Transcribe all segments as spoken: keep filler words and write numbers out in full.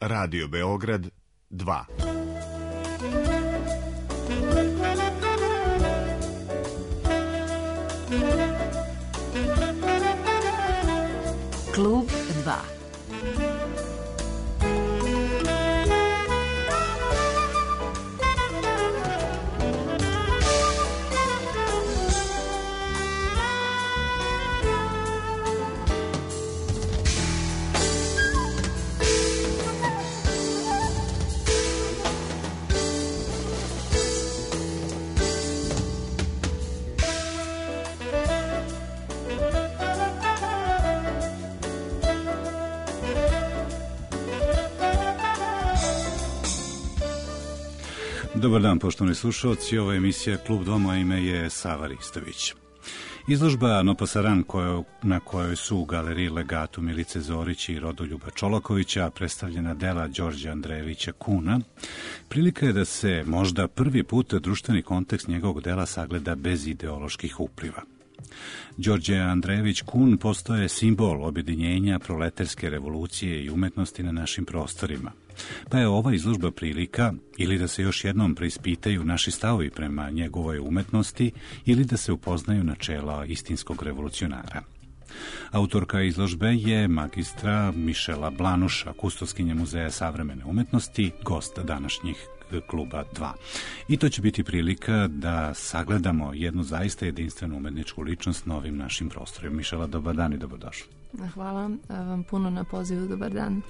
Radio Beograd dva. Klub dva. Dobar dan, poštovani slušalci, ovo je emisija Klub dva, moje ime je Sava Ristović. Izložba No Pasaran, kojo, na kojoj su u galeriji Legatu Milice Zorić i Rodoljuba Čolakovića predstavljena dela Đorđa Andrejevića Kuna, prilika je da se možda prvi put društveni kontekst njegovog dela sagleda bez ideoloških upliva. Đorđe Andrejević Kun postaje simbol objedinjenja proletarske revolucije i umetnosti na našim prostorima. Pa je ova izložba prilika ili da se još jednom preispitaju naši stavovi prema njegovoj umetnosti ili da se upoznaju načela istinskog revolucionara. Autorka izložbe je magistra Mišela Blanuša, kustoskinja Muzeja savremene umetnosti, gost današnjih Kluba dva. I to će biti prilika da sagledamo jednu zaista jedinstvenu umetničku ličnost na ovim našim prostorima. Mišela, dobar dan i dobrodošli. Hvala vam puno na pozivu, dobar dan.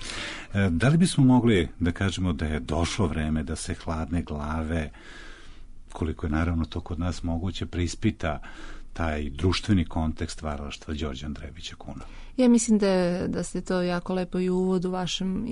Da li bismo mogli da kažemo da je došlo vreme da se hladne glave, koliko je naravno to kod nas moguće, preispita taj društveni kontekst stvaralaštva Đorđa Andrejevića Kuna? Ja mislim da, da ste to jako lepo i u uvodu vašem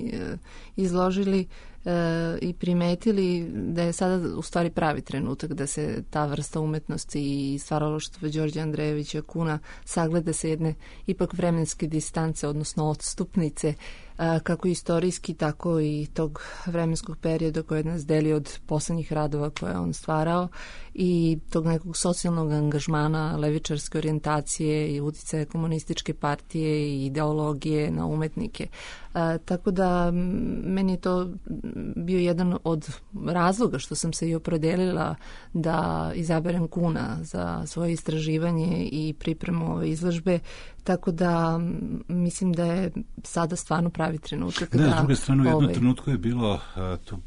izložili e, i primetili da je sada u stvari pravi trenutak da se ta vrsta umetnosti i stvaralaštva Đorđa Andrejevića Kuna sagleda sa jedne ipak vremenske distance, odnosno odstupnice, a, kako istorijski, tako i tog vremenskog perioda koje nas deli od poslednjih radova koje je on stvarao i tog nekog socijalnog angažmana, levičarske orijentacije i uticaja komunističke partije i ideologije na umetnike. A, tako da meni je to bio jedan od razloga što sam se i opredelila da izaberem Kuna za svoje istraživanje i pripremu ove izložbe, tako da mislim da je sada stvarno pravi trenutak. Da, da s druge strane, u jednom ovaj... trenutku je bilo, to,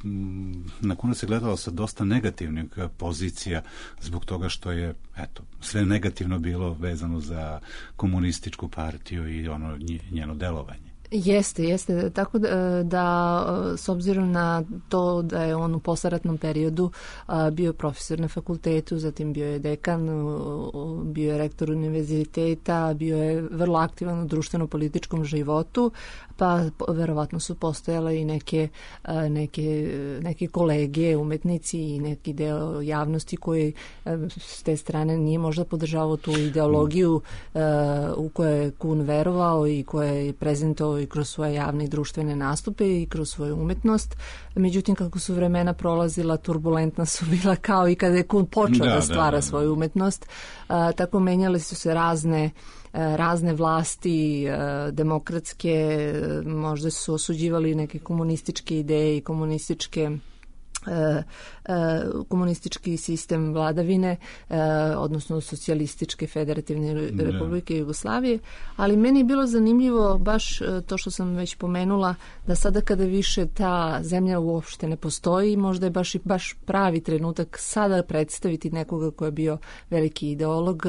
na Kuna se gledalo sa dosta negativnih pozicija zbog toga što je, eto, sve negativno bilo vezano za komunističku partiju i ono njeno delovanje. Jeste, jeste. Tako da, da s obzirom na to da je on u posleratnom periodu a, bio profesor na fakultetu, zatim bio je dekan, bio je rektor univerziteta, bio je vrlo aktivan u društveno-političkom životu, pa verovatno su postojale i neke, a, neke, neke kolege, umetnici i neki deo javnosti koji a, s te strane nije možda podržavao tu ideologiju a, u kojoj je Kun verovao i koja je prezentovao i kroz svoje javne i društvene nastupe i kroz svoju umetnost. Međutim, kako su vremena prolazila, turbulentna su bila kao i kada je Kun počeo da, da stvara da, da. svoju umetnost. A, tako menjale su se razne razne vlasti, demokratske, možda su osuđivali neke komunističke ideje i komunističke komunistički sistem vladavine, odnosno socijalističke federativne republike Jugoslavije, ali meni je bilo zanimljivo baš to što sam već pomenula, da sada kada više ta zemlja uopšte ne postoji, možda je baš i baš pravi trenutak sada predstaviti nekoga ko je bio veliki ideolog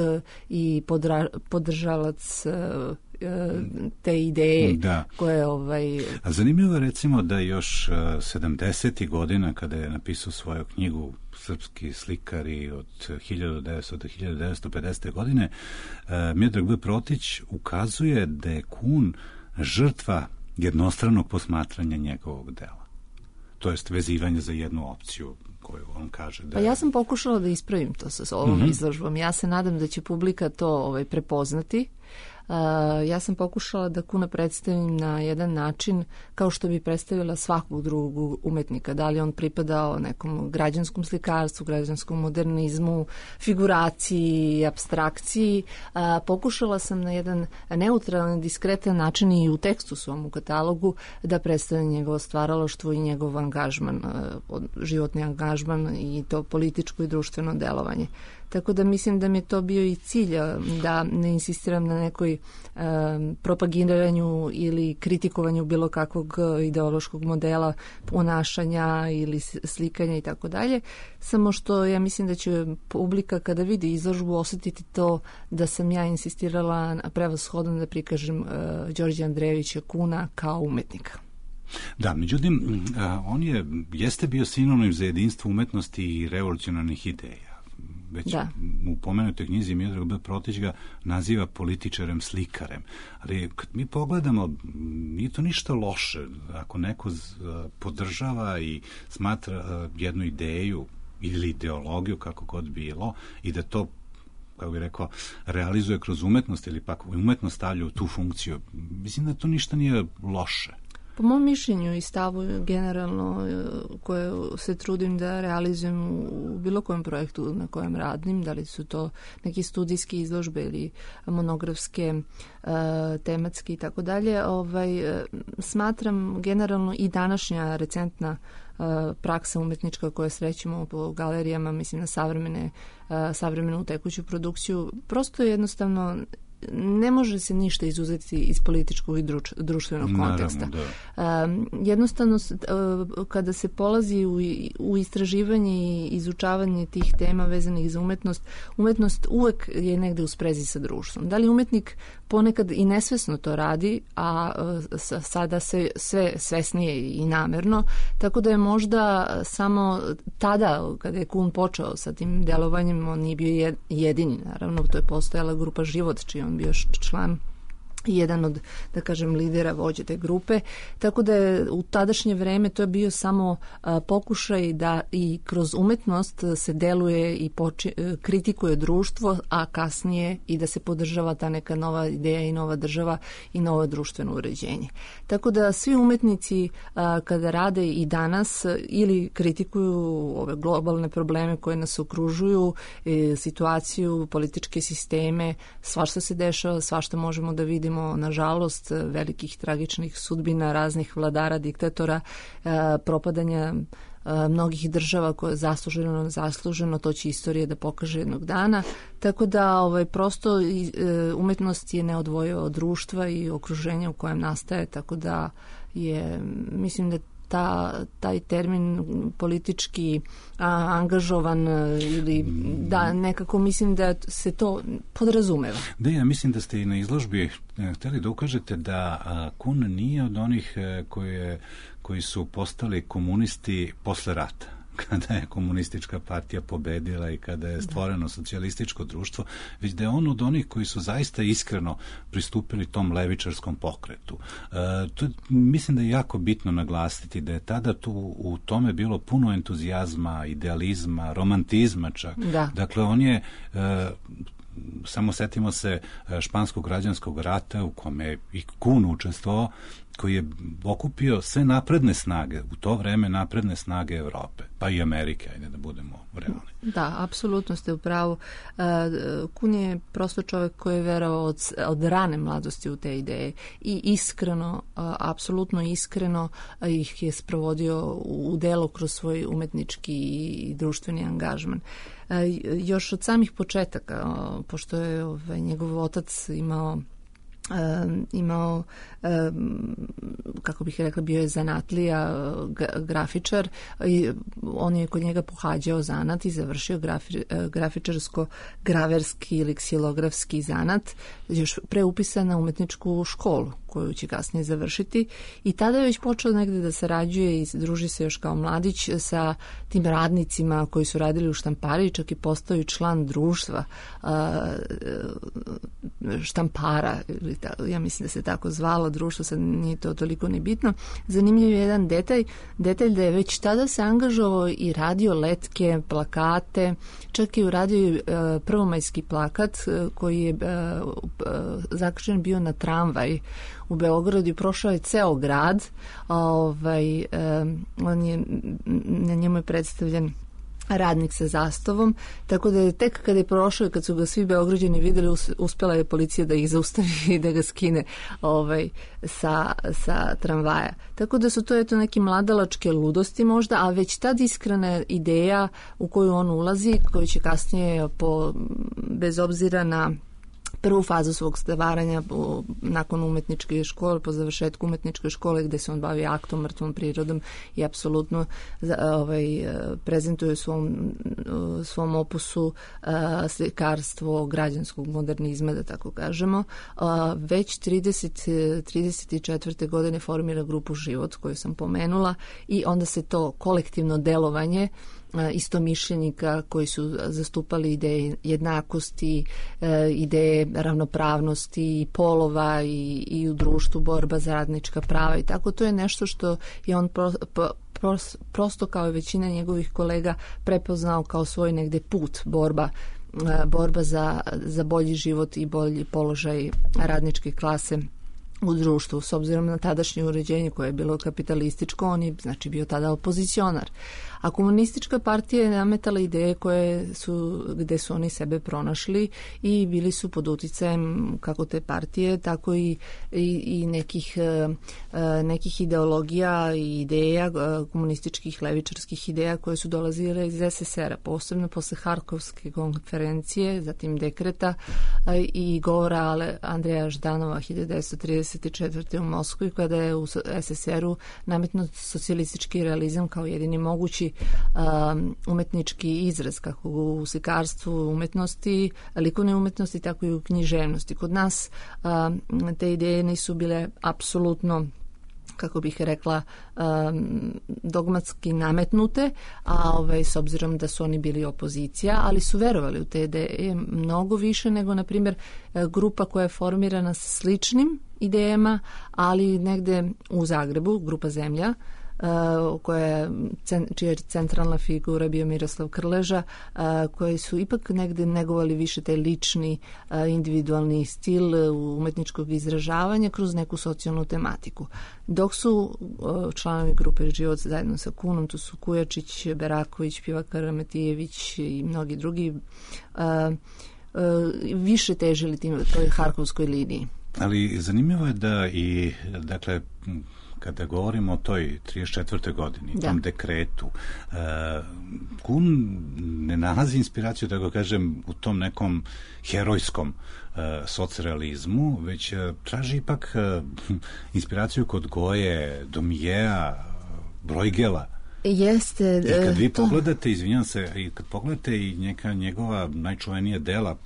i podra, podržalac te ideje da. koje ovaj... A zanimljivo je recimo da još sedamdesetih godina kada je napisao svoju knjigu Srpski slikari od hiljadu devetsto do hiljadu devetsto pedesete. godine, Miodrag B. Protić ukazuje da je Kun žrtva jednostranog posmatranja njegovog dela. To jest vezivanje za jednu opciju koju on kaže da... Pa ja sam pokušala da ispravim to sa ovom mm-hmm. izložbom. Ja se nadam da će publika to ovaj, prepoznati. ja sam pokušala da Kuna predstavim na jedan način kao što bi predstavila svakog drugog umetnika, da li on pripadao nekom građanskom slikarstvu, građanskom modernizmu, figuraciji, apstrakciji. Pokušala sam na jedan neutralan, diskretan način i u tekstu svom u katalogu da predstavim njegovo stvaralaštvo i njegov angažman, životni angažman i to političko i društveno delovanje. Tako da mislim da mi je to bio i cilj, da ne insistiram na nekoj um, propagiranju ili kritikovanju bilo kakvog ideološkog modela ponašanja ili slikanja i tako dalje. Samo što ja mislim da će publika kada vidi izložbu osjetiti to da sam ja insistirala prevashodno da prikažem uh, Đorđa Andrejevića Kuna kao umetnika. Da, međutim, on je, jeste bio sinonim za jedinstvo umetnosti i revolucionarnih ideja. Već da. U pomenutoj knjizi Miodrag B. Protić ga naziva političarem, slikarem. Ali kad mi pogledamo, nije to ništa loše. Ako neko podržava i smatra jednu ideju ili ideologiju, kako god bilo, i da to, kako bih rekao, realizuje kroz umetnost ili pak umetnost stavlja u tu funkciju, mislim da to ništa nije loše. Po mom mišljenju i stavu generalno koje se trudim da realizujem u bilo kojem projektu na kojem radim, da li su to neki studijski izložbe ili monografske, tematske i tako dalje, ovaj, smatram generalno i današnja recentna praksa umetnička koja srećemo po galerijama, mislim na savremene, savremenu tekuću produkciju, prosto je jednostavno ne može se ništa izuzeti iz političkog i druč, društvenog konteksta. Naravno, da. Uh, jednostavno, uh, kada se polazi u, u istraživanje i izučavanje tih tema vezanih za umetnost, umetnost uvek je negde u sprezi sa društvom. Da li umetnik ponekad i nesvesno to radi, a uh, sada se sve svesnije i namerno, tako da je možda samo tada, kada je Kun počeo sa tim delovanjem, on nije bio jedini, naravno, to je postojala grupa Život, čiji on bio član, jedan od, da kažem, lidera vođe te grupe, tako da je u tadašnje vreme to je bio samo a, pokušaj da i kroz umetnost se deluje i poči, kritikuje društvo, a kasnije i da se podržava ta neka nova ideja i nova država i novo društveno uređenje. Tako da svi umetnici a, kada rade i danas ili kritikuju ove globalne probleme koje nas okružuju, e, situaciju, političke sisteme, svašta se dešava, svašta možemo da vidimo, nažalost, velikih tragičnih sudbina raznih vladara, diktatora, propadanja mnogih država koje je zasluženo, zasluženo, to će istorija da pokaže jednog dana. Tako da ovaj, prosto umetnost je neodvojiva od društva i okruženja u kojem nastaje, tako da je, mislim da Ta, taj termin politički a, angažovan ili da nekako mislim da se to podrazumeva. Da, ja mislim da ste i na izložbi hteli da ukažete da a, Kun nije od onih koje, koji su postali komunisti posle rata, kada je komunistička partija pobedila i kada je stvoreno socijalističko društvo, već da je on od onih koji su zaista iskreno pristupili tom levičarskom pokretu. E, to, mislim da je jako bitno naglasiti da je tada tu u tome bilo puno entuzijazma, idealizma, romantizma čak. Da. Dakle, on je... E, samo setimo se španskog građanskog rata u kome je i Kun učestvovao, koji je okupio sve napredne snage, u to vreme napredne snage Evrope, pa i Amerike, ajde da budemo realni. Da, apsolutno ste u pravu. Kun je prosto čovjek koji je verovao od, od rane mladosti u te ideje i iskreno, apsolutno iskreno ih je sprovodio u delo kroz svoj umetnički i društveni angažman. Još od samih početaka, pošto je ovaj, njegov otac imao Um, imao, um, kako bih rekla, bio je zanatlija, grafičar i on je kod njega pohađao zanat i završio grafi, grafičarsko-graverski ili ksilografski zanat, još preupisan na umetničku školu koju će kasnije završiti. I tada je već počeo negde da sarađuje i druži se još kao mladić sa tim radnicima koji su radili u štampari, čak i postao član društva štampara, ja mislim da se tako zvalo društvo, sad nije to toliko ni bitno. Zanimljiv je jedan detalj, detalj da je već tada se angažovao i radio letke, plakate, čak i uradio prvomajski plakat koji je zakačen bio na tramvaj u Beogradu i prošao je ceo grad. Ovaj, on je, na njemu je predstavljen radnik sa zastavom, tako da je tek kada je prošao i kad su ga svi Beograđani videli, uspela je policija da ih zaustavi i da ga skine ovaj, sa, sa tramvaja. Tako da su to eto neki mladalačke ludosti možda, a već tad iskrena ideja u koju on ulazi, koju će kasnije po, bez obzira na prvu fazu svog stvaranja nakon umetničke škole, po završetku umetničke škole gde se on bavi aktom, mrtvom prirodom i apsolutno ovaj, prezentuje u svom, svom opusu slikarstvo građanskog modernizma, da tako kažemo. Već trideset četvrte godine formira grupu Život koju sam pomenula i onda se to kolektivno delovanje istomišljenika koji su zastupali ideje jednakosti, ideje ravnopravnosti polova i, i u društvu borba za radnička prava i tako. To je nešto što je on pro, pro, prosto kao i većina njegovih kolega prepoznao kao svoj negde put, borba borba za, za bolji život i bolji položaj radničke klase u društvu. S obzirom na tadašnje uređenje koje je bilo kapitalističko, on je znači bio tada opozicionar. A komunistička partija je nametala ideje koje su, gde su oni sebe pronašli i bili su pod uticajem kako te partije, tako i, i, i nekih, nekih ideologija i ideja, komunističkih levičarskih ideja koje su dolazile iz es es era, posebno posle Harkovske konferencije, zatim dekreta i govora Andreja Ždanova hiljadu devetsto trideset četvrte u Moskvi, kada je u es es eru nametnut socijalistički realizam kao jedini mogući Um, umetnički izraz, kako u slikarstvu umetnosti, likovne umetnosti, tako i u književnosti. Kod nas um, te ideje nisu bile apsolutno, kako bih rekla, um, dogmatski nametnute, a ovaj, s obzirom da su oni bili opozicija, ali su verovali u te ideje mnogo više nego, na primjer, grupa koja je formirana sa sličnim idejama, ali negde u Zagrebu, grupa Zemlja, Uh, koja, čija je centralna figura bio Miroslav Krleža, uh, koji su ipak negde negovali više taj lični, uh, individualni stil uh, umetničkog izražavanja kroz neku socijalnu tematiku. Dok su uh, članovi grupe Život zajedno sa Kunom, tu su Kujačić, Beraković, Pivak Karametijević i mnogi drugi, uh, uh, više težili tim toj harkovskoj liniji. Ali zanimljivo je da i, dakle, kada govorimo o toj trideset četvrtoj godini, da. Tom dekretu, uh, Kun ne nalazi inspiraciju, da ga kažem, u tom nekom herojskom uh, socrealizmu, već uh, traži ipak uh, inspiraciju kod Goje, Domijeja, Brojgela. Jeste. I kad vi to... pogledate, izvinjam se, i kad pogledate i neka njegova najčuvenija dela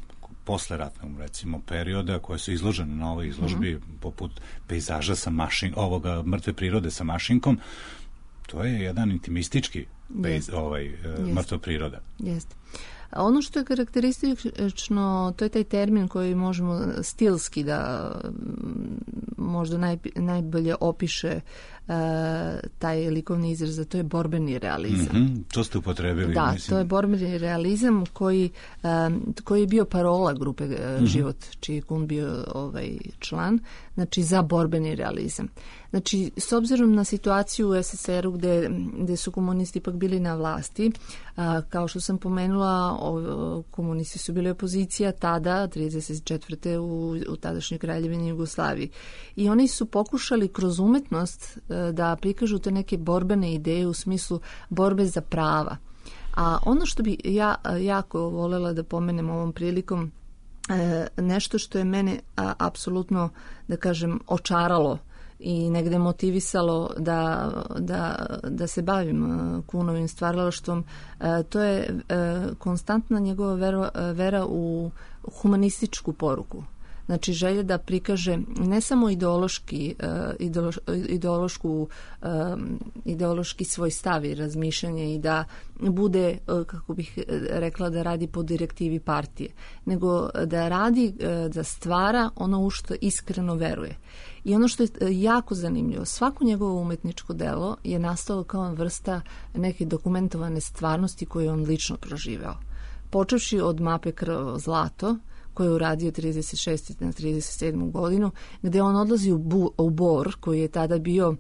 posle ratnog, recimo, perioda koje su izložene na ovoj izložbi, mm-hmm. poput pejzaža sa mašin, ovoga mrtve prirode sa mašinkom, to je jedan intimistički pejz, ovaj, Jest. mrtva priroda. Jeste. Ono što je karakteristično, to je taj termin koji možemo stilski da možda naj, najbolje opiše uh, taj likovni izraz, a to je borbeni realizam. Mm-hmm, to ste upotrebili. Da, mislim. To je borbeni realizam koji, um, koji je bio parola grupe uh, mm-hmm. Život, čiji je Kun bio ovaj, član, znači za borbeni realizam. Znači, s obzirom na situaciju u es es eru gde, gde su komunisti ipak bili na vlasti, a, kao što sam pomenula, o, komunisti su bili opozicija tada, trideset četvrte u, u tadašnjoj Kraljevini Jugoslaviji. I oni su pokušali kroz umetnost a, da prikažu te neke borbene ideje u smislu borbe za prava. A ono što bi ja jako volela da pomenem ovom prilikom, a, nešto što je mene a, apsolutno, da kažem, očaralo i negde motivisalo da, da, da se bavim Kunovim stvaralaštvom, to je konstantna njegova vera, vera u humanističku poruku. Znači želja da prikaže ne samo ideološki, ideološ, ideološku, ideološki svoj stav i razmišljanje i da bude, kako bih rekla, da radi po direktivi partije, nego da radi, da stvara ono u što iskreno veruje. I ono što je jako zanimljivo, svako njegovo umetničko delo je nastalo kao vrsta neke dokumentovane stvarnosti koju je on lično proživeo. Počevši od mape Krvavo zlato, koji je uradio trideset šeste na trideset sedmu godinu, gde on odlazi u, Bu, u Bor, koji je tada bio,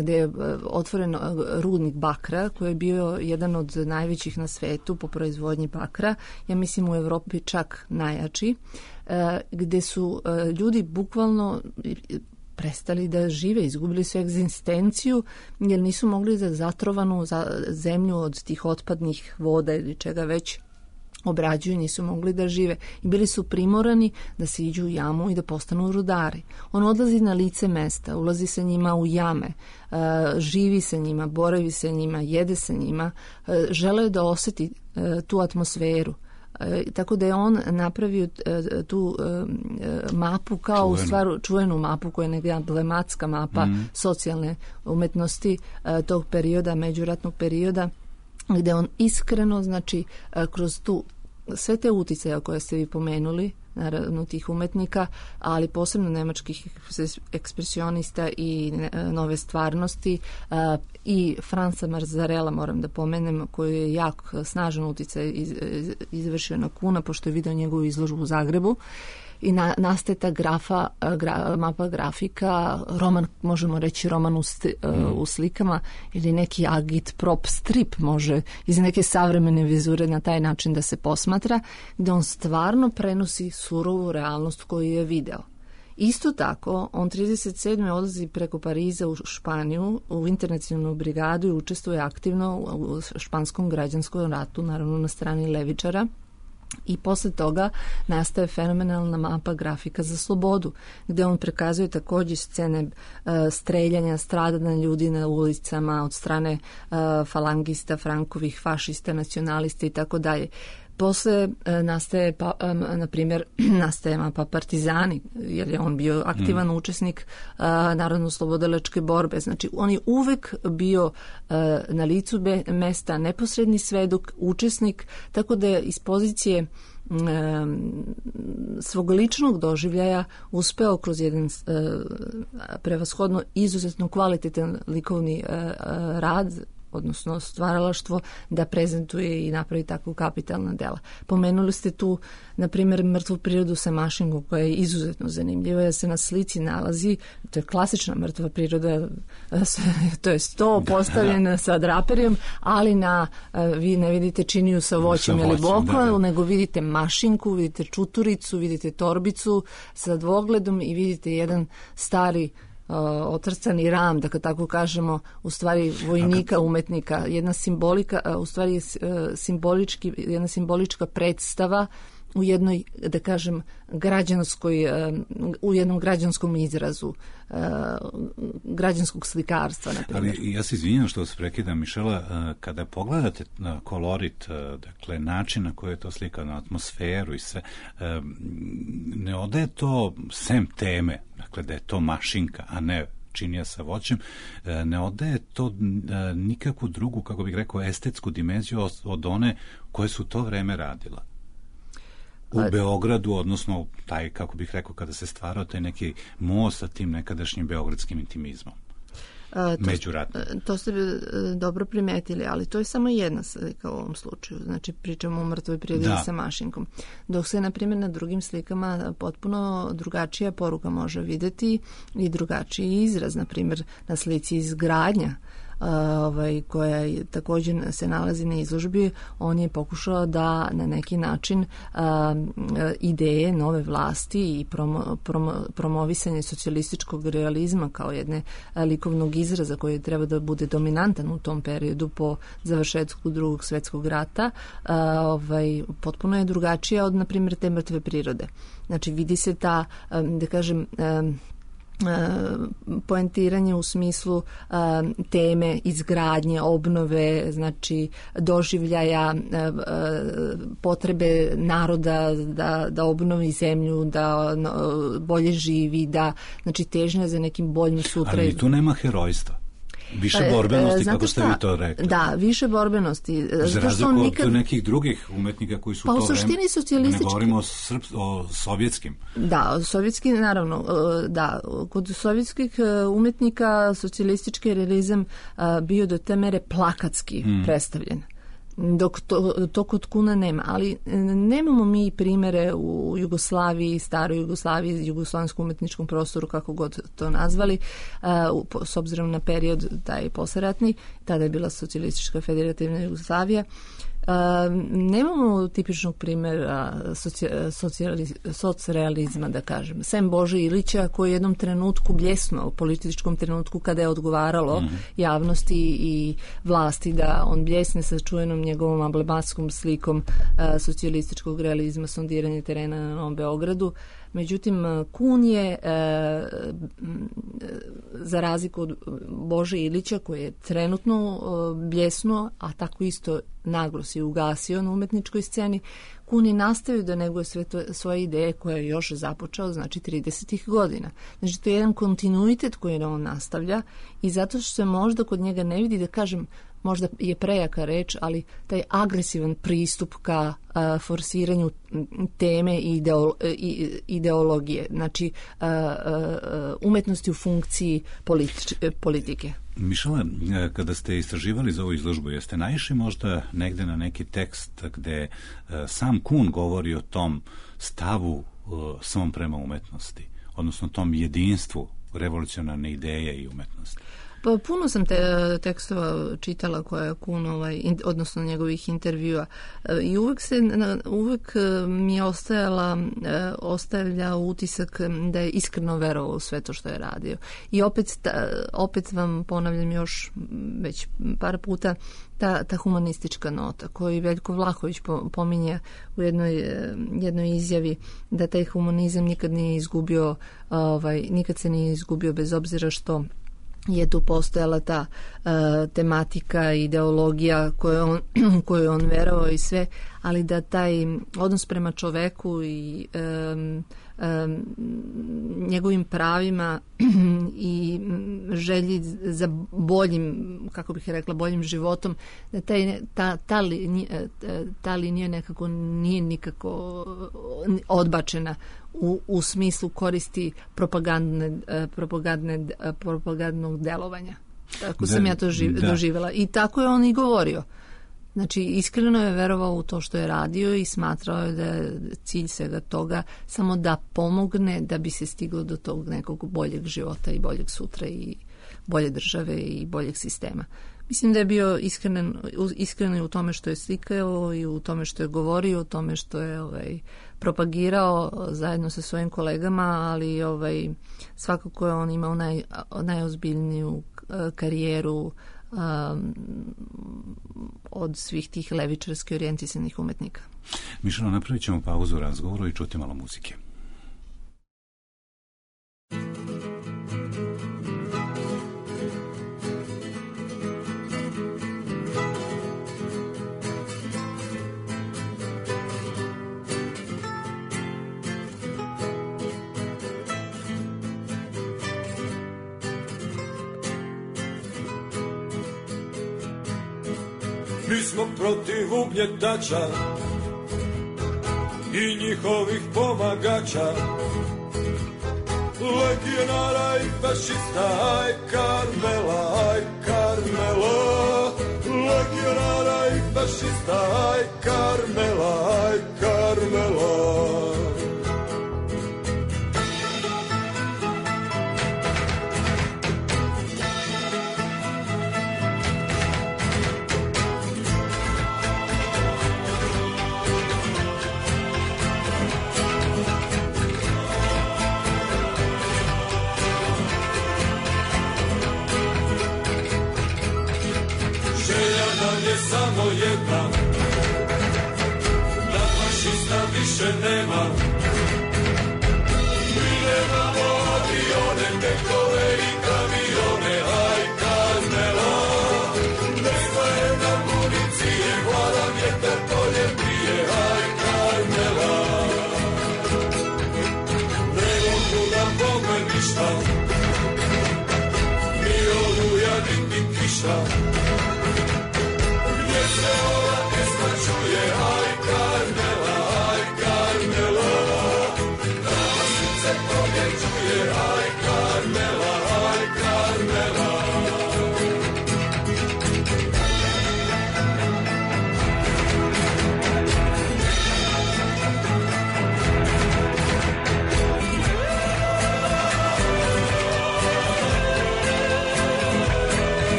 gde je otvoren rudnik bakra, koji je bio jedan od najvećih na svetu po proizvodnji bakra, ja mislim u Evropi čak najjači, gde su ljudi bukvalno prestali da žive, izgubili su egzistenciju jer nisu mogli da zatrovanu zemlju od tih otpadnih voda ili čega već obrađuju, nisu mogli da žive i bili su primorani da se iđu u jamu i da postanu rudari. On odlazi na lice mesta, ulazi sa njima u jame, živi sa njima, boravi sa njima, jede sa njima, žele da oseti tu atmosferu. Tako da je on napravio tu mapu kao u stvaru čuvenu mapu koja je neka emblematska mapa mm. socijalne umetnosti tog perioda, međuratnog perioda, gde on iskreno, znači, kroz tu sve te uticaje koje ste vi pomenuli, naravno tih umetnika, ali posebno nemačkih ekspresionista i nove stvarnosti i Franca Marzarela, moram da pomenem, koji je jak snažan uticaj izvršio na Kuna, pošto je video njegovu izložbu u Zagrebu. I na, nastaje ta grafa, gra, mapa grafika, roman, možemo reći roman u, sti, mm. u slikama ili neki agit prop strip može iz neke savremene vizure na taj način da se posmatra, gde on stvarno prenosi surovu realnost koju je video. Isto tako, on trideset sedme odlazi preko Pariza u Španiju, u internacionalnu brigadu i učestvuje aktivno u španskom građanskom ratu, naravno na strani levičara. I posle toga nastaje fenomenalna mapa grafika za slobodu, gde on prikazuje takođe scene uh, streljanja, stradanja ljudi na ulicama od strane uh, falangista, Frankovih, fašista, nacionalista i tako dalje. Posle e, nastaje, pa, e, na primjer, nastaje mapa Partizani, jer je on bio aktivan mm. učesnik e, narodno-slobodilačke borbe. Znači, on je uvek bio e, na licu be, mesta neposredni svedok, učesnik, tako da je iz pozicije e, svog ličnog doživljaja uspeo kroz jedan e, prevashodno izuzetno kvalitetan likovni e, rad, odnosno stvaralaštvo, da prezentuje i napravi takvu kapitalna dela. Pomenuli ste tu, na primjer, mrtvu prirodu sa mašinkom, koja je izuzetno zanimljiva, jer se na slici nalazi, to je klasična mrtva priroda, to je sto postavljena sa draperijom, ali na, vi ne vidite činiju sa voćem ili bokvom, nego vidite mašinku, vidite čuturicu, vidite torbicu sa dvogledom i vidite jedan stari Uh, otrcani ram, da kad tako kažemo, u stvari vojnika, umetnika, jedna simbolika, uh, u stvari uh, simbolički, jedna simbolička predstava u jednoj, da kažem, građanskoj, uh, u jednom građanskom izrazu uh, građanskog slikarstva, na primjer. Ali ja se izvinjam što vas prekidam, Mišela, uh, kada pogledate na kolorit, uh, dakle, način na koji je to slika, na atmosferu i sve, uh, ne odaje to sem teme, dakle, da je to mašinka, a ne činija sa voćem, ne odaje to nikakvu drugu, kako bih rekao, estetsku dimenziju od one koje su to vreme radila. U Beogradu, odnosno taj, kako bih rekao, kada se stvarao taj neki most sa tim nekadašnjim beogradskim intimizmom. Međuratno. To, to ste dobro primetili, ali to je samo jedna slika u ovom slučaju. Znači, pričamo o mrtvoj prirodi da. sa mašinkom. Dok se, na primjer, na drugim slikama potpuno drugačija poruka može videti i drugačiji izraz. Na primjer, na slici izgradnja, ovaj, koja također se nalazi na izložbi, on je pokušao da na neki način a, ideje nove vlasti i promo, promo, promovisanje socijalističkog realizma kao jedne a, likovnog izraza koji treba da bude dominantan u tom periodu po završetku drugog svetskog rata, a, ovaj, potpuno je drugačija od, na primjer, te mrtve prirode. Znači, vidi se ta, a, da kažem, a, poentiranje u smislu a, teme izgradnje, obnove, znači doživljaja, a, a, potrebe naroda da, da obnovi zemlju, da no, bolje živi, da znači težnja za nekim boljim sutra. Ali tu nema herojstva. Više borbenosti, Znate kako ste šta? vi to rekli. Da, više borbenosti. Za razliku nikad... od nekih drugih umetnika koji su pa, to u suštini vreme... socijalistički... Ne govorimo o, srp... o sovjetskim. Da, sovjetski, naravno. Da, kod sovjetskih umetnika socijalistički realizam bio do te mere plakatski mm. predstavljen. Dok to, to kod Kuna nema, ali nemamo mi primere u Jugoslaviji, staroj Jugoslaviji, jugoslovenskom umetničkom prostoru, kako god to nazvali, uh, s obzirom na period taj posleratni, tada je bila socijalistička federativna Jugoslavija. Uh, nemamo tipičnog primjera socrealizma, da kažem. Sem Bože Ilića, koji je jednom trenutku bljesno, u političkom trenutku, kada je odgovaralo mm-hmm. javnosti i vlasti da on bljesne sa čuvenom njegovom amblematskom slikom uh, socijalističkog realizma, sondiranje terena na Novom Beogradu. Međutim, Kun je, e, za razliku od Bože Ilića, koji je trenutno e, bljesno, a tako isto naglo se ugasio na umetničkoj sceni, Kun je nastavio da neguje sve to, svoje ideje koje je još započeo, znači tridesetih godina. Znači, to je jedan kontinuitet koji on nastavlja i zato što se možda kod njega ne vidi, da kažem, možda je prejaka reč, ali taj agresivan pristup ka a, forsiranju teme i, ideolo, i ideologije, znači a, a, umetnosti u funkciji politič, politike. Mišela, kada ste istraživali za ovu izložbu, jeste naišli možda negde na neki tekst gde a, sam Kun govori o tom stavu a, svom prema umetnosti, odnosno tom jedinstvu revolucionarne ideje i umetnosti? Pa puno sam te tekstova čitala koja je Kun, ovaj, in, odnosno njegovih intervjua i uvek, se, uvek mi je ostajala, ostavlja utisak da je iskreno verovao u sve to što je radio. I opet, ta, opet vam ponavljam još već par puta ta, ta humanistička nota koju Veljko Vlahović pominje u jednoj, jednoj izjavi, da taj humanizam nikad nije izgubio, ovaj, nikad se nije izgubio bez obzira što je tu postojala ta uh, tematika, ideologija koju on, koju on verovao i sve, ali da taj odnos prema čoveku i um, um, njegovim pravima i želji za boljim, kako bih rekla, boljim životom, da taj, ta, ta, linija, ta linija nekako nije nikako odbačena u, u smislu koristi propagandne, propagandne, propagandnog delovanja. Tako da, sam ja to živ, da. doživjela. I tako je on i govorio. Znači, iskreno je verovao u to što je radio i smatrao je da je cilj svega toga samo da pomogne da bi se stiglo do tog nekog boljeg života i boljeg sutra i bolje države i boljeg sistema. Mislim da je bio iskren, iskren u tome što je slikao i u tome što je govorio, u tome što je ovaj, propagirao zajedno sa svojim kolegama, ali ovaj, svakako je on imao naj, najozbiljniju karijeru Um, od svih tih levičarski orijentisanih umetnika. Mišela, napravit ćemo pauzu u razgovoru i čuti malo muzike. Mi smo protiv ugnjetača i njihovih pomagača, legionara i fašista, aj Karmela, aj Karmela, legionara i fašista, aj Karmela, aj Karmela. Samo jedna, da fašista više nema. Mi nemamo avione, tek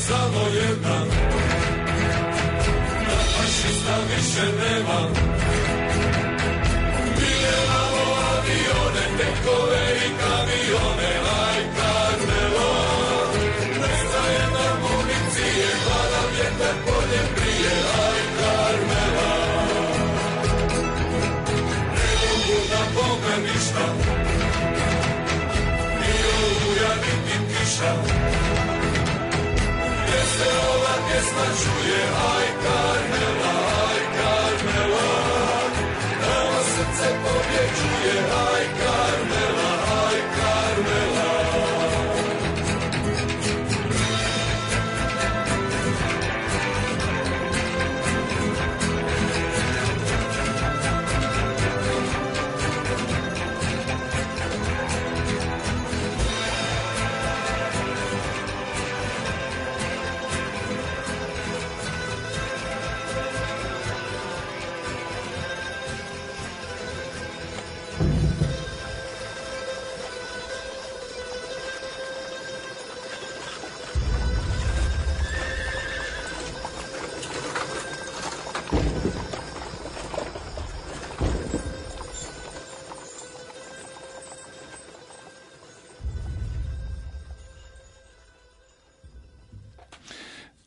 Samo jedan, da fašista više nema. Miljevamo avione, tenkove i kamione, aj Karmelo. Nestaje nam municije, pada vjetar poljem prije, aj Karmela. Ne mogu da bombe ništa, ni oluja, niti kiša. Gdje se ova pjesma čuje, aj Karmela, aj Karmela. Nama srce pobjeđuje, aj Karmela, aj Karmela.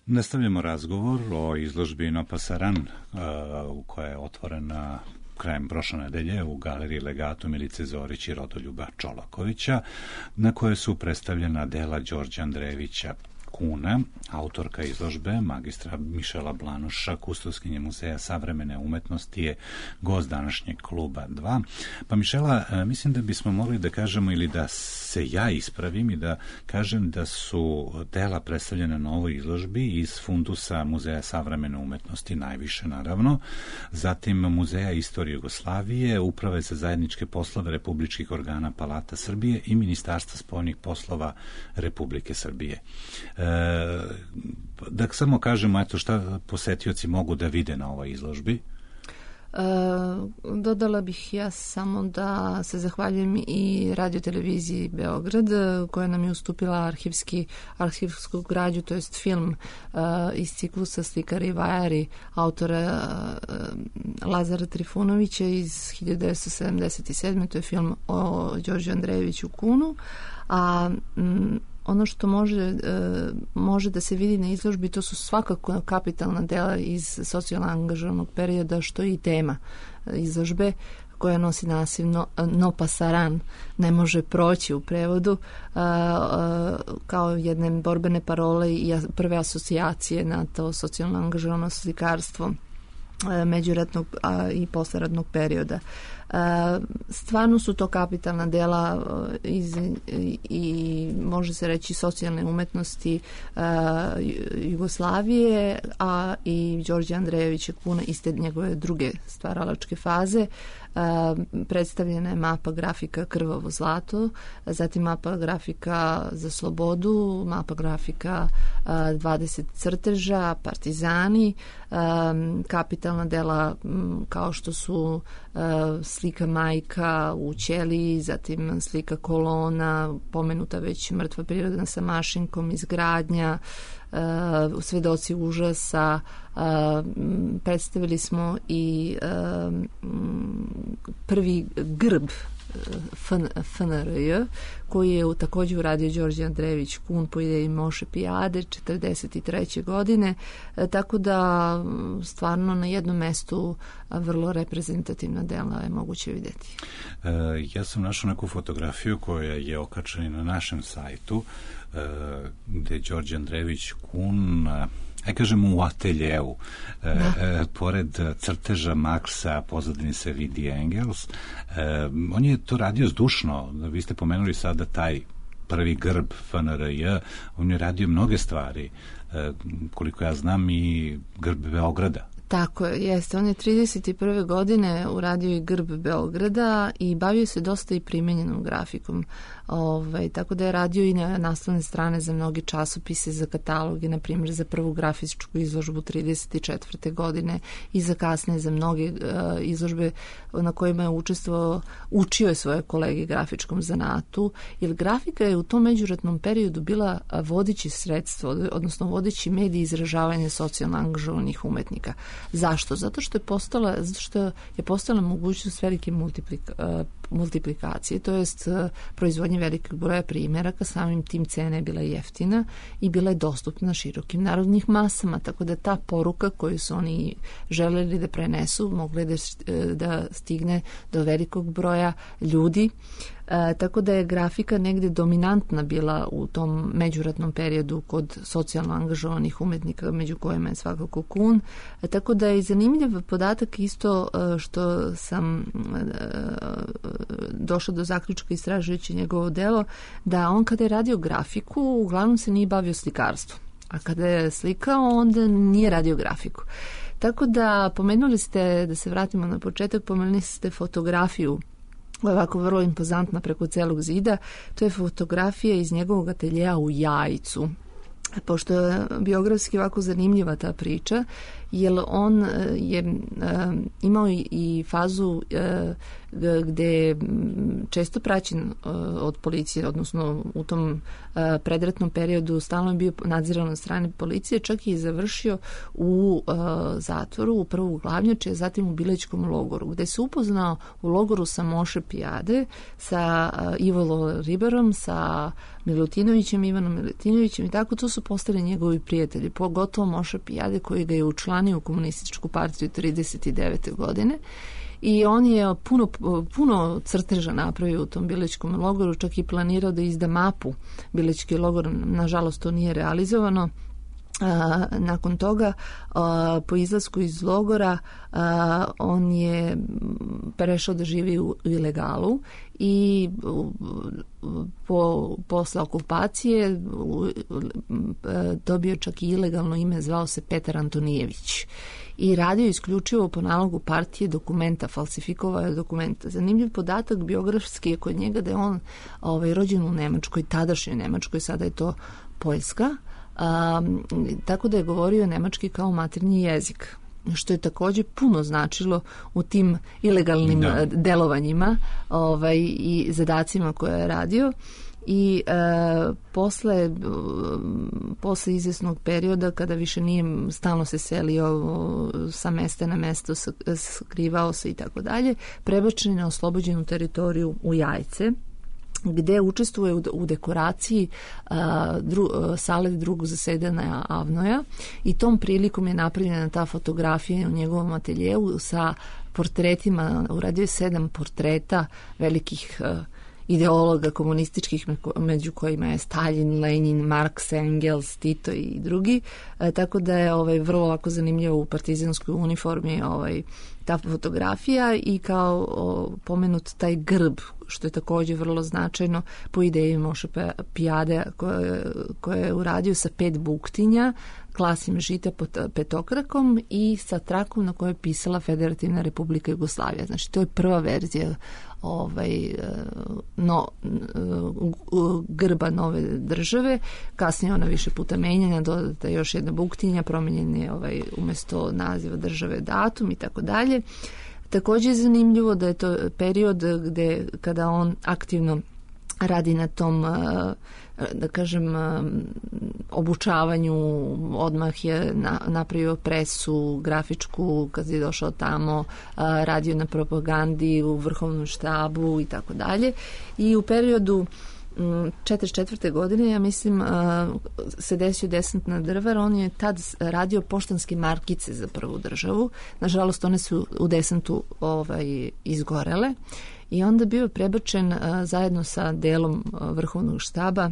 Nastavljamo razgovor o izložbi No Pasaran, uh, koja je otvorena krajem prošle nedelje u galeriji Legatu Milice Zorić i Rodoljuba Čolakovića, na kojoj su predstavljena dela Đorđa Andrejevića Kuna, autorka izložbe, magistra Mišela Blanuša, kustoskinje Muzeja savremene umetnosti, je gost današnjeg kluba dva. Pa Mišela, mislim da bismo mogli da kažemo, ili da se ja ispravim i da kažem da su dela predstavljena na ovoj izložbi iz fundusa Muzeja savremene umetnosti, najviše naravno, zatim Muzeja istorije Jugoslavije, Uprave za zajedničke poslove republičkih organa Palata Srbije i Ministarstva spoljnih poslova Republike Srbije. E, da samo kažemo, eto, šta posetioci mogu da vide na ovoj izložbi. E, dodala bih ja samo da se zahvaljujem i radioteleviziji Beograd, koja nam je ustupila arhivski, arhivsku građu, to jest film e, iz ciklusa Slikari i vajari autora e, Lazara Trifunovića iz hiljadu devetsto sedamdeset sedme. To je film o Đorđu Andrejeviću Kunu, a m, ono što može, e, može da se vidi na izložbi, to su svakako kapitalna dela iz socijalno angažovanog perioda, što je i tema izložbe, koja nosi naziv No, no Pasaran, ne može proći u prevodu, a, a, kao jedne borbene parole i prve asocijacije na to socijalno angažovano slikarstvo međuratnog a, i posleratnog perioda. A, stvarno su to kapitalna dela iz, i, i može se reći socijalne umetnosti a, Jugoslavije, a i Đorđe Andrejevića Kuna iz te njegove druge stvaralačke faze. A, predstavljena je mapa grafika Krvavo zlato, zatim mapa grafika za slobodu, mapa grafika a, dvadeset crteža, partizani, a, kapitalna dela m, kao što su a, slika majka u ćeliji, zatim slika kolona, pomenuta već mrtva priroda sa mašinkom, izgradnja, Uh, svedoci užasa. Uh, predstavili smo i uh, prvi grb F N R J, koji je također uradio Đorđe Andrejević Kun po ideji Moše Pijade četrdeset treće godine, e, tako da stvarno na jednom mestu vrlo reprezentativna dela je moguće vidjeti. E, ja sam našao neku fotografiju koja je okačena na našem sajtu, e, gde Đorđe Andrejević Kun aj kažemo u ateljevu. E, e, pored crteža Marksa, pozadini se vidi Engels. E, on je to radio zdušno. Vi ste pomenuli sada taj prvi grb F N R J, on je radio mnoge stvari. E, koliko ja znam i grb Beograda. Tako je, jeste. On je trideset prve godine uradio i grb Beograda i bavio se dosta i primenjenom grafikom. Ovaj, tako da je radio i na naslovne strane za mnogi časopise, za kataloge, na primjer za prvu grafičku izložbu trideset četvrte godine i za kasne za mnoge uh, izložbe na kojima je učestvovao, učio je svoje kolege grafičkom zanatu, jer grafika je u tom međuratnom periodu bila vodeći sredstvo, odnosno vodeći medij izražavanja socijalno angažovanih umetnika. Zašto? Zato što je postala, zato što je postala mogućnost velike multiplika, uh, multiplikacije, to jest uh, proizvodnje velikog broja primjeraka, samim tim cena je bila jeftina i bila je dostupna širokim narodnih masama, tako da ta poruka koju su oni želeli da prenesu mogla da, da stigne do velikog broja ljudi. E, tako da je grafika negde dominantna bila u tom međuratnom periodu kod socijalno angažovanih umetnika, među kojima je svakako Kun. E, tako da je zanimljiv podatak isto e, što sam e, došla do zaključka istražujući njegovo delo, da on kada je radio grafiku uglavnom se nije bavio slikarstvom, a kada je slikao onda nije radio grafiku. Tako da pomenuli ste, da se vratimo na početak, pomenuli ste fotografiju ovako vrlo impozantna preko celog zida. To je fotografija iz njegovog ateljeja u Jajcu. Pošto je biografski ovako zanimljiva ta priča, jer on je imao i fazu gde je često praćen od policije, odnosno u tom predratnom periodu stalno je bio nadziran od strane policije, čak i završio u zatvoru, u prvu glavnjače, a zatim u Bilećkom logoru, gde se upoznao u logoru sa Moše Pijade, sa Ivo Riberom, sa Milutinovićem, Ivanom Milutinovićem i tako, to su postali njegovi prijatelji, pogotovo Moša Pijade koji ga je učlanio u komunističku partiju trideset devete godine. I on je puno, puno crteža napravio u tom Bilećkom logoru, čak i planirao da izda mapu Bilećki logor, nažalost to nije realizovano. A, nakon toga a, po izlasku iz logora a, on je prešao da živi u ilegalu i po, posle okupacije u, a, dobio čak i ilegalno ime, zvao se Petar Antonijević i radio isključivo po nalogu partije dokumenta, falsifikovao dokumenta. Zanimljiv podatak biografski je kod njega da je on ovaj, rođen u Nemačkoj, tadašnjoj Nemačkoj, sada je to Poljska. Um, tako da je govorio nemački kao maternji jezik, što je također puno značilo u tim ilegalnim da. delovanjima ovaj, i zadacima koje je radio. I e, posle, posle izvjesnog perioda kada više nije stalno se selio sa mesta na mesto, skrivao se i tako dalje, prebačen na oslobođenu teritoriju u Jajce, gde učestvuje u, u dekoraciji a, dru, a, sale drugog zasedanja Avnoja i tom prilikom je napravljena ta fotografija u njegovom ateljevu sa portretima, uradio je sedam portreta velikih a, ideologa komunističkih, među kojima je Stalin, Lenin, Marks, Engels, Tito i drugi, e, tako da je ovaj, vrlo ovako zanimljivo u partizanskoj uniformi ovaj, ta fotografija i kao o, pomenut taj grb, što je također vrlo značajno po ideji Moše Pijade koje, koje je uradio sa pet buktinja, klasim žita pod petokrakom i sa trakom na kojoj je pisala Federativna Republika Jugoslavija. Znači, to je prva verzija ovaj, no, grba nove države. Kasnije ona više puta menjena, dodata još jedna buktinja, promenjen je ovaj, umjesto naziva države datum i tako dalje. Također je zanimljivo da je to period gde kada on aktivno radi na tom, da kažem, obučavanju, odmah je napravio presu grafičku kad je došao tamo, radio na propagandi u vrhovnom štabu i tako dalje. I u periodu četrdeset četvrte godine, ja mislim, se desio desant na Drvar. On je tad radio poštanske markice za prvu državu. Nažalost, one su u desantu ovaj, izgorele. I onda bio prebačen zajedno sa delom vrhovnog štaba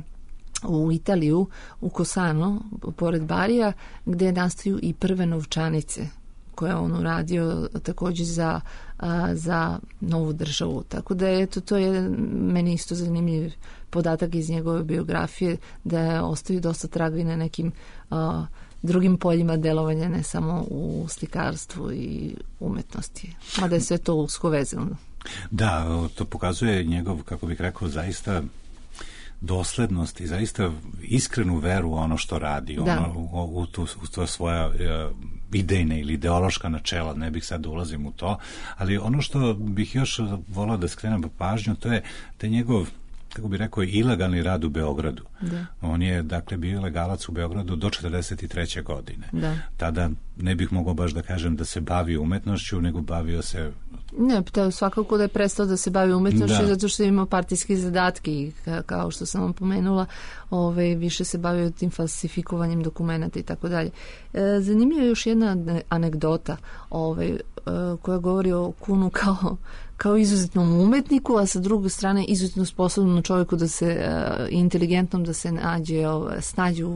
u Italiju, u Kosano, pored Barija, gde nastaju i prve novčanice koje on uradio takođe za, a, za novu državu. Tako da eto, to je meni isto zanimljiv podatak iz njegove biografije, da ostaju dosta traga i na nekim a, drugim poljima delovanja, ne samo u slikarstvu i umetnosti. Mada je sve to usko vezano. Da, to pokazuje njegov, kako bih rekao, zaista doslednost i zaista iskrenu veru u ono što radi, ono, u, u, tu, u to svoja uh, idejne ili ideološka načela, ne bih sad da ulazim u to, ali ono što bih još volao da skrenem pažnju, to je taj njegov, kako bih rekao, ilegalni rad u Beogradu. Da. On je, dakle, bio ilegalac u Beogradu do četrdeset treće godine. Da. Tada ne bih mogao baš da kažem da se bavio umetnošću, nego bavio se... Ne, to svakako da je prestao da se bavi umetnošću, zato što je imao partijski zadatke i kao što sam vam pomenula, ovaj, više se bavio tim falsifikovanjem dokumenta i tako dalje. Zanimljiva je još jedna anegdota ovaj, koja govori o Kuhnu kao kao izuzetnom umetniku, a sa druge strane izuzetno sposobnom čovjeku da se uh, inteligentnom da se nađe, uh, snađe u,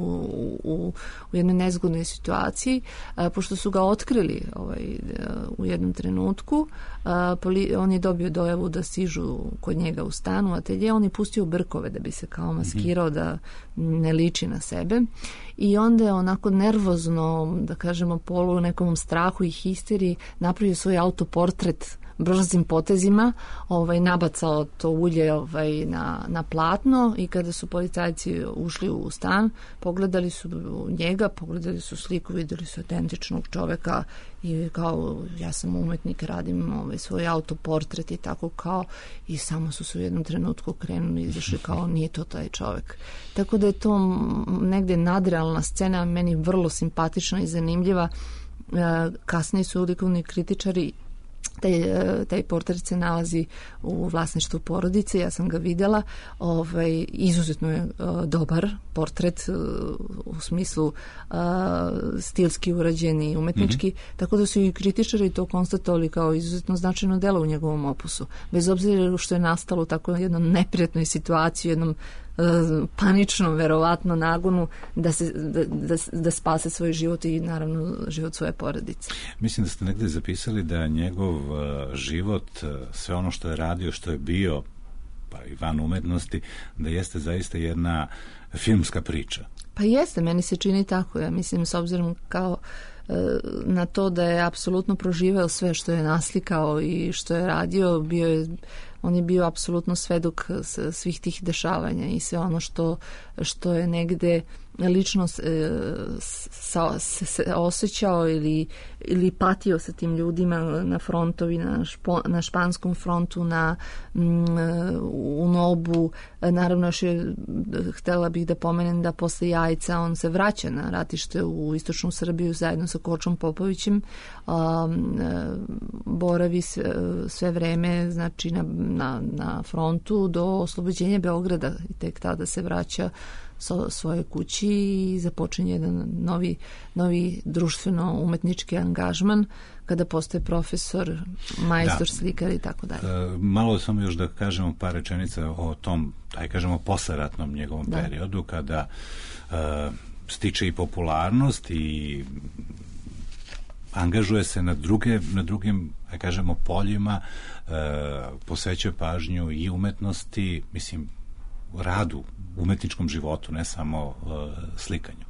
u, u jednoj nezgodnoj situaciji, uh, pošto su ga otkrili ovaj, uh, u jednom trenutku, uh, poli, on je dobio dojavu da stižu kod njega u stanu, atelje, on je pustio brkove da bi se kao maskirao, da ne liči na sebe, i onda je onako nervozno, da kažemo, polu u nekom strahu i histeriji napravio svoj autoportret brzim potezima, ovaj, nabacao to ulje ovaj, na, na platno, i kada su policajci ušli u stan, pogledali su njega, pogledali su sliku, videli su autentičnog čoveka i kao, ja sam umetnik, radim ovaj, svoj autoportret i tako kao, i samo su se u jednom trenutku krenuli i izašli kao, nije to taj čovek. Tako da je to negde nadrealna scena, meni vrlo simpatična i zanimljiva. Kasnije su likovni kritičari, Taj, taj portret se nalazi u vlasništvu porodice, ja sam ga videla, ovaj, izuzetno je uh, dobar portret uh, u smislu uh, stilski urađen i umetnički, mm-hmm. tako da su i kritičari to konstatovali kao izuzetno značajno delo u njegovom opusu. Bez obzira što je nastalo u tako jednom neprijatnoj situaciji, jednom paničnom, verovatno, nagonu da, se, da, da, da spase svoj život i naravno život svoje porodice. Mislim da ste negde zapisali da njegov uh, život, uh, sve ono što je radio, što je bio, pa i van umetnosti, da jeste zaista jedna filmska priča. Pa jeste, meni se čini tako. Ja mislim, s obzirom kao na to da je apsolutno proživeo sve što je naslikao i što je radio, bio je, on je bio apsolutno svedok svih tih dešavanja i sve ono što, što je negde lično e, sa, se, se osjećao ili, ili patio sa tim ljudima na frontovi, na, špo, na španskom frontu, na, m, u Nobu. Naravno, još je, htela bih da pomenem da posle Jajca on se vraća na ratište u istočnu Srbiju zajedno sa Kočom Popovićem, a, boravi sve, sve vreme, znači na, na, na frontu do oslobođenja Beograda i tek tada se vraća so svoje kući i započinje jedan novi, novi društveno-umetnički angažman kada postaje profesor, majstor, da. Slikar i tako dalje. E, malo samo još da kažemo par rečenica o tom, aj kažemo, posleratnom njegovom da. periodu, kada e, stiče i popularnost i angažuje se na, druge, na drugim, aj kažemo, poljima, e, posvećuje pažnju i umetnosti, mislim, radu, umetničkom životu, ne samo uh, slikanju.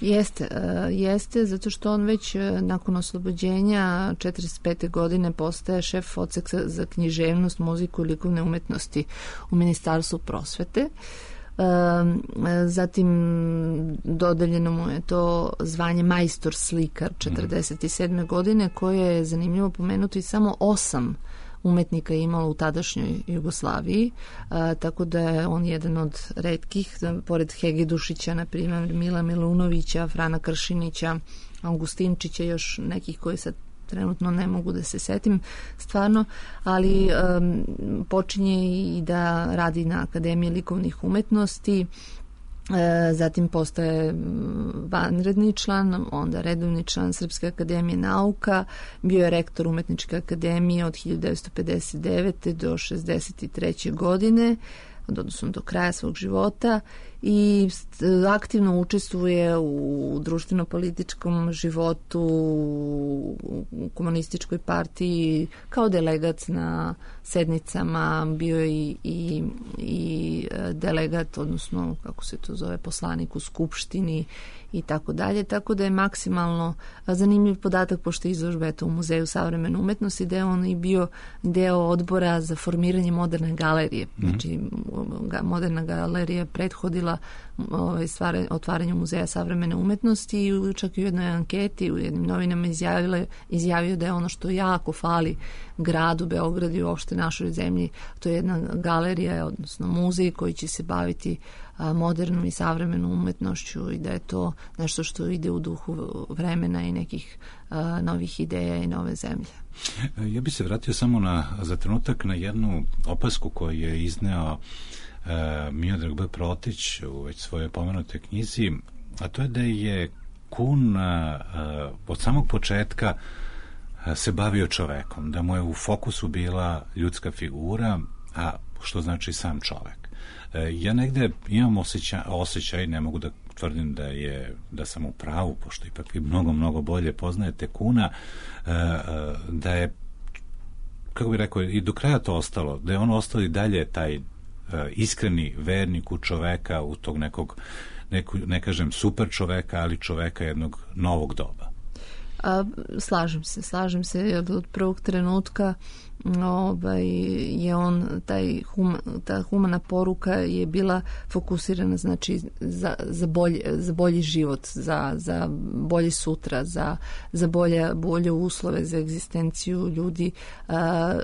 Jeste, uh, jeste, zato što on već uh, nakon oslobođenja četrdeset pete godine postaje šef odseka za književnost, muziku i likovne umetnosti u Ministarstvu prosvete. Uh, zatim dodeljeno mu je to zvanje majstor slikar četrdeset sedme godine, koje je zanimljivo pomenuti samo osam umetnika je imalo u tadašnjoj Jugoslaviji, a, tako da je on jedan od retkih, pored Hege Dušića, na primjer Mila Milunovića, Frana Kršinića, Augustinčića, još nekih koji sad trenutno ne mogu da se setim stvarno, ali um, počinje i da radi na Akademiji likovnih umetnosti, E, zatim postaje vanredni član, onda redovni član Srpske akademije nauka, bio je rektor Umetničke akademije od hiljadu devetsto pedeset devete do šezdeset treće godine, odnosno do kraja svog života, i aktivno učestvuje u društveno-političkom životu, u komunističkoj partiji, kao delegat na sednicama, bio je i, i, i delegat, odnosno, kako se to zove, poslanik u Skupštini i tako dalje, tako da je maksimalno zanimljiv podatak, pošto je izložba eto, u Muzeju savremene umetnosti, da je on i bio deo odbora za formiranje moderne galerije. Znači, moderna galerija prethodila ovaj, stvar, otvaranju Muzeja savremene umetnosti i čak i u jednoj anketi u jednim novinama izjavile, izjavio da je ono što jako fali gradu Beogradu i uopšte našoj zemlji, to je jedna galerija, odnosno muzej koji će se baviti a, modernom i savremenom umetnošću i da je to nešto što ide u duhu vremena i nekih a, novih ideja i nove zemlje. Ja bih se vratio samo na, za trenutak na jednu opasku koju je izneo uh, Miodrag B. Protić u već svojoj pomenutoj knjizi, a to je da je Kun uh, od samog početka uh, se bavio čovekom, da mu je u fokusu bila ljudska figura, a što znači sam čovek. Uh, ja negde imam osjećaj, osjećaj, ne mogu da tvrdim da je da sam u pravu, pošto ipak vi mnogo, mnogo bolje poznajete Kuna, uh, uh, da je, kako bih rekao, i do kraja to ostalo, da je on ostao i dalje taj uh, iskreni vernik u čoveka, u tog nekog, neku, ne kažem super čoveka, ali čoveka jednog novog doba. A, slažem se, slažem se, jer od prvog trenutka ovaj, je on, taj hum, ta humana poruka je bila fokusirana znači za, za, bolji, za bolji život, za, za bolje sutra, za, za bolje, bolje uslove za egzistenciju ljudi, a,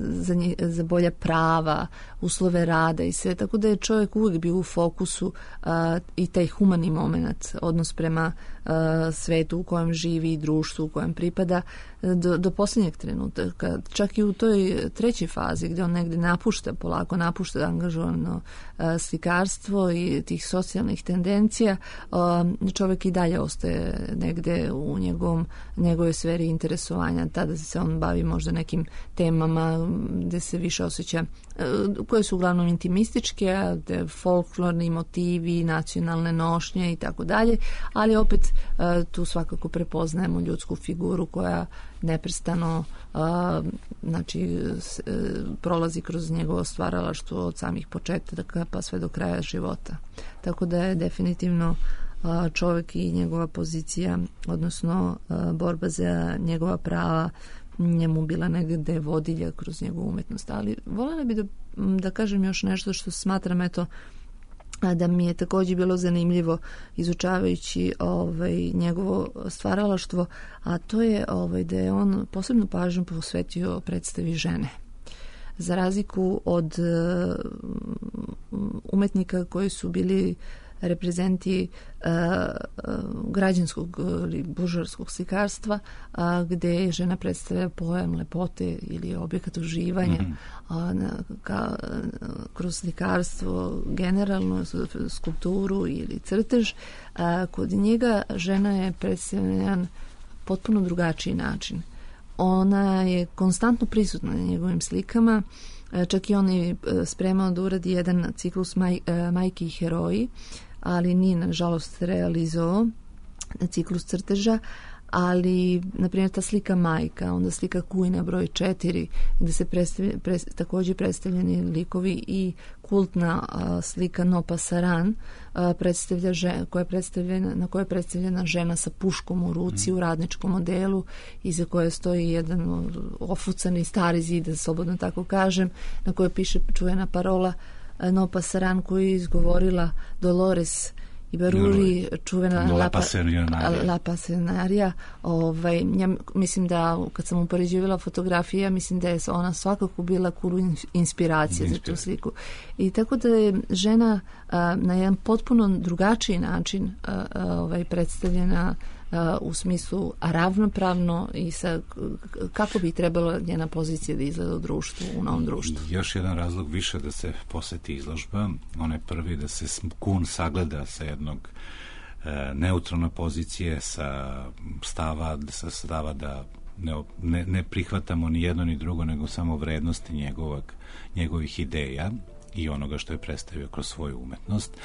za, nje, za bolja prava, uslove rada i sve, tako da je čovjek uvijek bio u fokusu a, i taj humani moment, odnos prema a, svetu u kojem živi i društvu u kojem pripada do, do posljednjeg trenutka. Čak i u toj trećoj fazi gdje on negdje napušta, polako napušta angažovano a, slikarstvo i tih socijalnih tendencija, a, čovjek i dalje ostaje negdje u njegovom, njegove sferi interesovanja. Tada se on bavi možda nekim temama gdje se više osjeća, a, koje su uglavnom intimističke, a, folklorni motivi, nacionalne nošnje i tako dalje, ali opet a, tu svakako prepoznajemo ljudsku figuru koja neprestano a, znači s, e, prolazi kroz njegovo stvaralaštvo od samih početaka pa sve do kraja života. Tako da je definitivno a, čovjek i njegova pozicija, odnosno a, borba za njegova prava njemu bila negdje vodilja kroz njegovu umetnost. Ali voljela bi da, da kažem još nešto što smatram eto da mi je također bilo zanimljivo izučavajući ovaj, njegovo stvaralaštvo, a to je ovaj, da je on posebnu pažnju posvetio predstavi žene. Za razliku od uh, umetnika koji su bili reprezenti uh, građanskog ili buržoarskog slikarstva, uh, gde žena predstavlja pojam lepote ili objekat uživanja, mm-hmm. uh, na, ka, kroz slikarstvo, generalno skulpturu ili crtež. Uh, kod njega žena je predstavljena na jedan potpuno drugačiji način. Ona je konstantno prisutna na njegovim slikama, čak i on je spremao da uradi jedan ciklus maj, majki i heroji, ali nije nažalost realizovao ciklus crteža, ali na primjer ta slika majka, onda slika Kujna broj četiri gdje se predstavlja, pres, također predstavljeni likovi i kultna a, slika No Pasaran a, predstavlja žen, koja je predstavljena, na kojoj je predstavljena žena sa puškom u ruci mm. u radničkom modelu iza koje stoji jedan ofucani stari zid, da slobodno tako kažem, na kojoj piše čuvena parola a, No Pasaran koju je izgovorila Dolores Ibaruri, čuvena La Pasionaria. Ovaj, ja mislim da kad sam upoređivala fotografije, ja mislim da je ona svakako bila kulu inspiracija za tu sliku. I tako da je žena a, na jedan potpuno drugačiji način a, a, ovaj, predstavljena a, u smislu ravnopravno i sa kako bi trebalo njena pozicija da izgleda u društvu, u novom društvu. Još jedan razlog više da se poseti izložba, on je prvi da se Kun sagleda sa jednog e, neutralne pozicije, sa stava, sa stava da ne, ne, ne prihvatamo ni jedno ni drugo, nego samo vrednosti njegovog, njegovih ideja i onoga što je predstavio kroz svoju umetnost.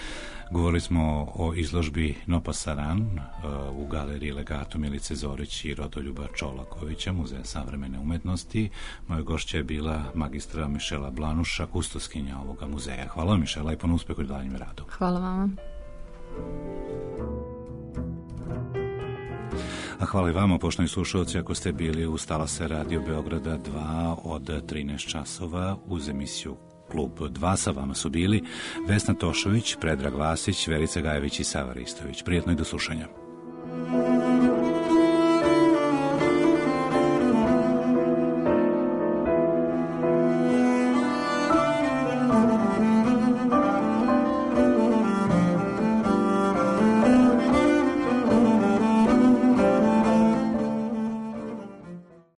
Govorili smo o izložbi No Pasaran uh, u galeriji Legato Milice Zorić i Rodoljuba Čolakovića, Muzeja savremene umetnosti. Moja gošća je bila magistra Mišela Blanuša, kustoskinja ovoga muzeja. Hvala vam, Mišela, i puno uspeha u daljem radu. Hvala vama. A hvala i vama, poštovani slušalci, ako ste bili uz talase Radio Beograda dva od trinaest časova uz emisiju Klub dva. Sa vama su bili Vesna Tošović, Predrag Vasić, Verica Gajević i Sava Ristović. Prijetno i do slušanja.